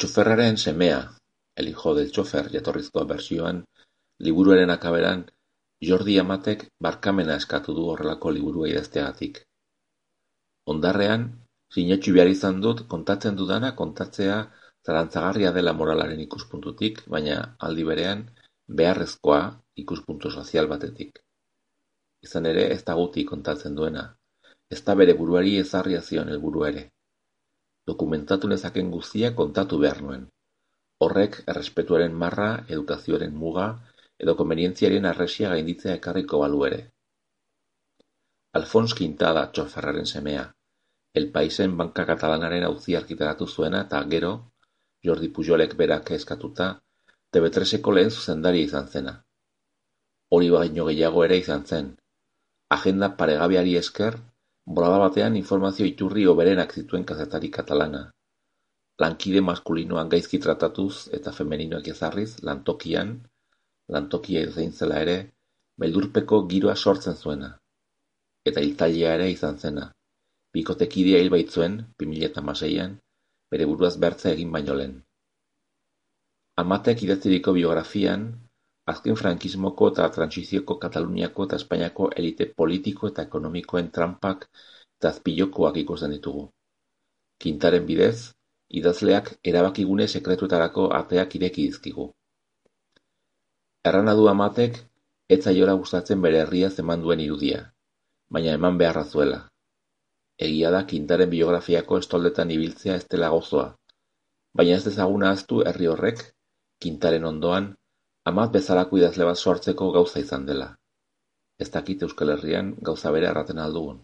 Txoferraren semea, El hijo del txofer jatorrizko bertsioan, liburuaren akaberan, Jordi Amatek barkamena eskatu du horrelako liburua idazteagatik. Hondarrean, sinetsi behar izan dut kontatzen dudana kontatzea zalantzagarria dela moralaren ikuspuntutik, baina aldi berean beharrezkoa ikuspuntu sozial batetik. Izan ere, ez da guti kontatzen duena, ez da bere buruari ezarria zion helburua ere. Dokumentatu nezaken guztia kontatu behar nuen. Horrek errespetuaren marra, edukazioaren muga edo konbenientziaren arresia gainditzea ekarriko balu ere. Alfons Quintada txoferraren semea, El Paisen banka katalanaren auzia argitaratu zuena eta gero, Jordi Pujolek berak eskatuta, TV3eko lehen zuzendaria izan zena. Hori baino gehiago ere izan zen. Agenda paregabeari esker, bolada batean informazio iturri hoberenak zituen kazetari katalana. Lankide maskulinoan gaizki tratatuz eta femeninoak ezarriz, lantokia zein zela ere, beldurpeko giroa sortzen zuena. Eta hiltzailea ere izan zena. Bikotekidea hil baitzuen, 2006an, bere buruaz bertza egin baino lehen. Amatek idatziriko biografian, azken frankismoko eta trantsizioko Kataluniako eta Espainiako elite politiko eta ekonomikoen trampak eta azpilokoak ikusten ditugu. Quintaren bidez, idazleak erabakigune sekretuetarako ateak ireki dizkigu. Errana du Amatek, ez zaiola gustatzen bere herria eman duen irudia, baina eman beharra zuela. Egia da Quintaren biografiako estoldetan ibiltzea ez dela gozoa, baina ez dezagun ahaztu herri horrek, Quintaren ondoan, Amat bezalako idazle bat sortzeko gauza izan dela. Ez dakit Euskal Herrian gauza bere erraten aldugun.